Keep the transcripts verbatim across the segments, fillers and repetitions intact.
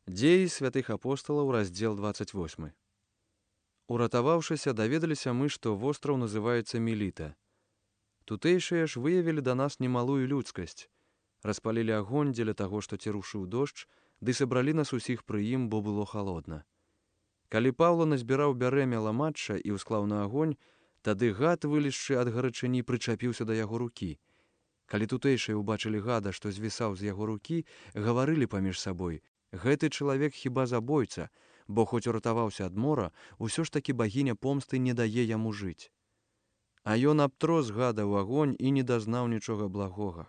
Дзеі святых апосталаў, раздзел двадцать восьмы. Уратаваўшыся, даведаліся мы, што востраў называецца Меліта. Тутэйшыя ж выявілі да нас немалую людскасць, распалілі агонь дзеля таго, што ці рушыў дождж, ды сабралі нас усіх пры ім, бо было халодна. Калі Паўла назбіраў бярэмя ламачча і ўсклаў на агонь, тады гад, вылезшы ад гарачыні, прычапіўся да яго рукі. Калі тутэйшыя ўбачылі гада, што звісаў з яго рукі, гаварылі паміж сабой: гэты чалавек хіба забойца, бо хоць уратаваўся ад мора, усё ж такі багіня помсты не дае яму жыць. А ён абтрос гада ў агонь і не дазнаў нічога благога.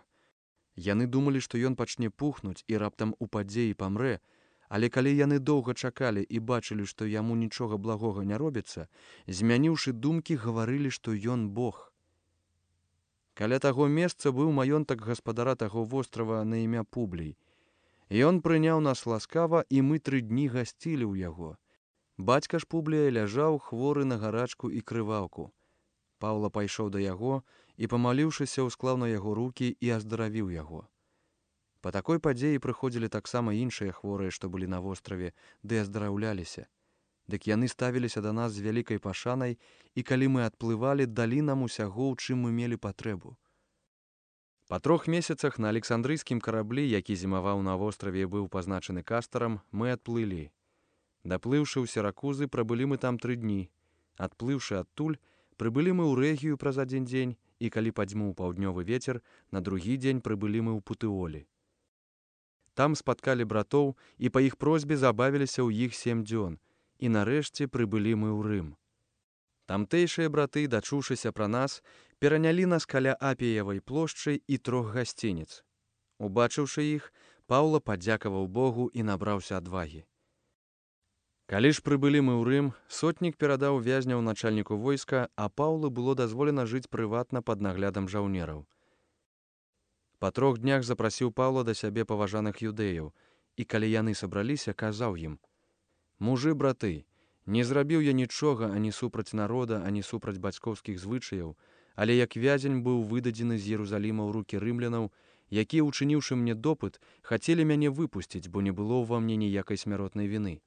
Яны думалі, што ён пачне пухнуць і раптам упадзе і памрэ, але калі яны доўга чакалі і бачылі, што яму нічога благога не робіцца, змяніўшы думкі, гаварылі, што ён Бог. Каля таго месца быў маёнтак гаспадара таго вострава на імя Публій. Ён прыняў нас ласкава, і мы тры дні гасцілі ў яго. Бацька ж Публія ляжаў хворы на гарачку і крываўку. Паўла пайшоў да яго і, памаліўшыся, усклаў на яго рукі і аздаравіў яго. Па такой падзеі прыходзілі таксама іншыя хворыя, што былі на востраве, ды аздараўляліся. Дык яны ставіліся да нас з вялікай пашанай, і калі мы адплывалі, далі нам усяго, у чым мы мелі патрэбу. Па трох месяцах на александрыйскім караблі, які зімаваў на востраве і быў пазначаны кастарам, мы адплылі. Даплыўшы ў Сіракузы, прабылі мы там тры дні. Адплыўшы адтуль, прыбылі мы ў Рэгію праз адзін дзень, і калі падзьмуў паўднёвы вецер, на другі дзень прыбылі мы ў Путыолі. Там спаткалі братоў, і па іх просьбе забавіліся ў іх сем дзён, і нарэшце прыбылі мы ў Рым. Тамтэйшыя браты, дачуўшыся пра нас, перанялі нас каля Апіевай плошчы і трох гасцініц. Убачыўшы іх, Паўла падзякаваў Богу і набраўся адвагі. Калі ж прыбылі мы ў Рым, сотнік перадаў вязняў начальніку войска, а Паўлу было дазволена жыць прыватна пад наглядам жаўнераў. Па трох днях запрасіў Паўла да сябе паважаных юдэяў, і калі яны сабраліся, казаў ім: «Мужы, браты, не зрабіў я нічога ані супраць народа, ані супраць бацькоўскіх звычаяў, але як вязень быў выдадзены з Єрусаліма ў рукі рымлянаў, якія, учыніўшы мне допыт, хацелі мяне выпусціць, бо не было ўва мне ніякай смяротнай віны.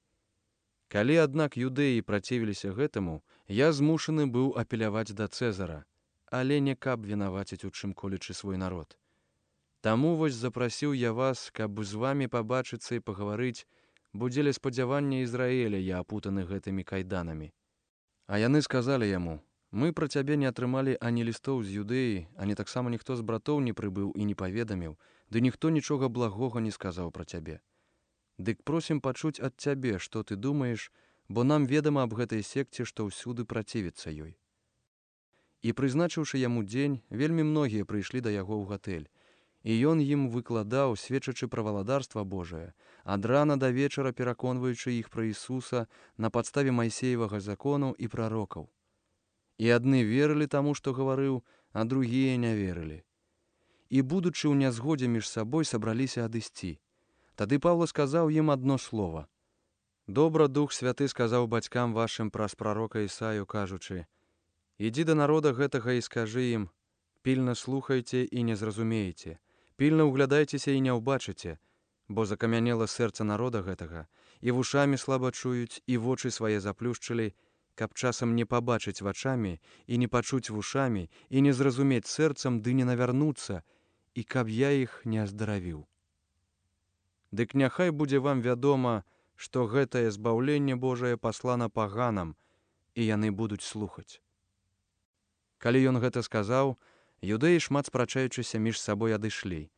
Калі, аднак, юдэі працівіліся гэтаму, я змушаны быў апеляваць да Цэзара, але не каб вінаваціць у чым колечы свой народ. Таму вось запрасіў я вас, каб з вамі пабачыцца і пагаварыць, бо дзеля спадзявання Ізраіля я апутаны гэтымі кайданамі». А яны сказалі яму: «Мы пра цябе не атрымалі ані лістоў з Юдэі, ані таксама ніхто з братоў не прыбыў і не паведаміў, ды ніхто нічога благога не сказаў пра цябе. Дык просім пачуць ад цябе, што ты думаеш, бо нам ведама аб гэтай секце, што ўсюды працівіцца ёй». І прызначыўшы яму дзень, вельмі многія прыйшлі да яго ў гатэль, і ён ім выкладаў, сведчачы пра валадарства Божае, ад рана да вечара пераконваючы іх пра Ісуса на падставе Майсеевага закону і прарокаў. І адны верылі таму, што гаварыў, а другія не верылі. І, будучы ў нязгодзе між сабой, сабраліся адысці. Тады Паўла сказаў ім адно слова: «Добра Дух Святы сказаў бацькам вашым праз прарока Ісаю, кажучы: ідзі да народа гэтага і скажы ім: пільна слухайце і не зразумееце, пільна ўглядайцеся і не ўбачыце, бо закамянела сэрца народа гэтага, і вушамі слаба чуюць, і вочы свае заплюшчылі, каб часам не пабачыць вачамі, і не пачуць вушамі, і не зразумець сэрцам, ды не навярнуцца, і каб я іх не аздаравіў. Дык няхай будзе вам вядома, што гэтае збаўленне Божае паслана паганам, і яны будуць слухаць». Калі ён гэта сказаў, юдэі, шмат спрачаючыся між сабой, адышлі.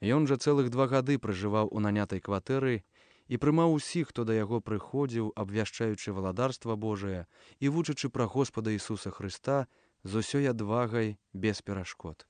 Ён жа цэлых два гады пражываў у нанятай кватэры і прымаў усіх, хто да яго прыходзіў, абвяшчаючы валадарства Божае і вучачы пра Господа Ісуса Хрыста з усёй адвагай без перашкод.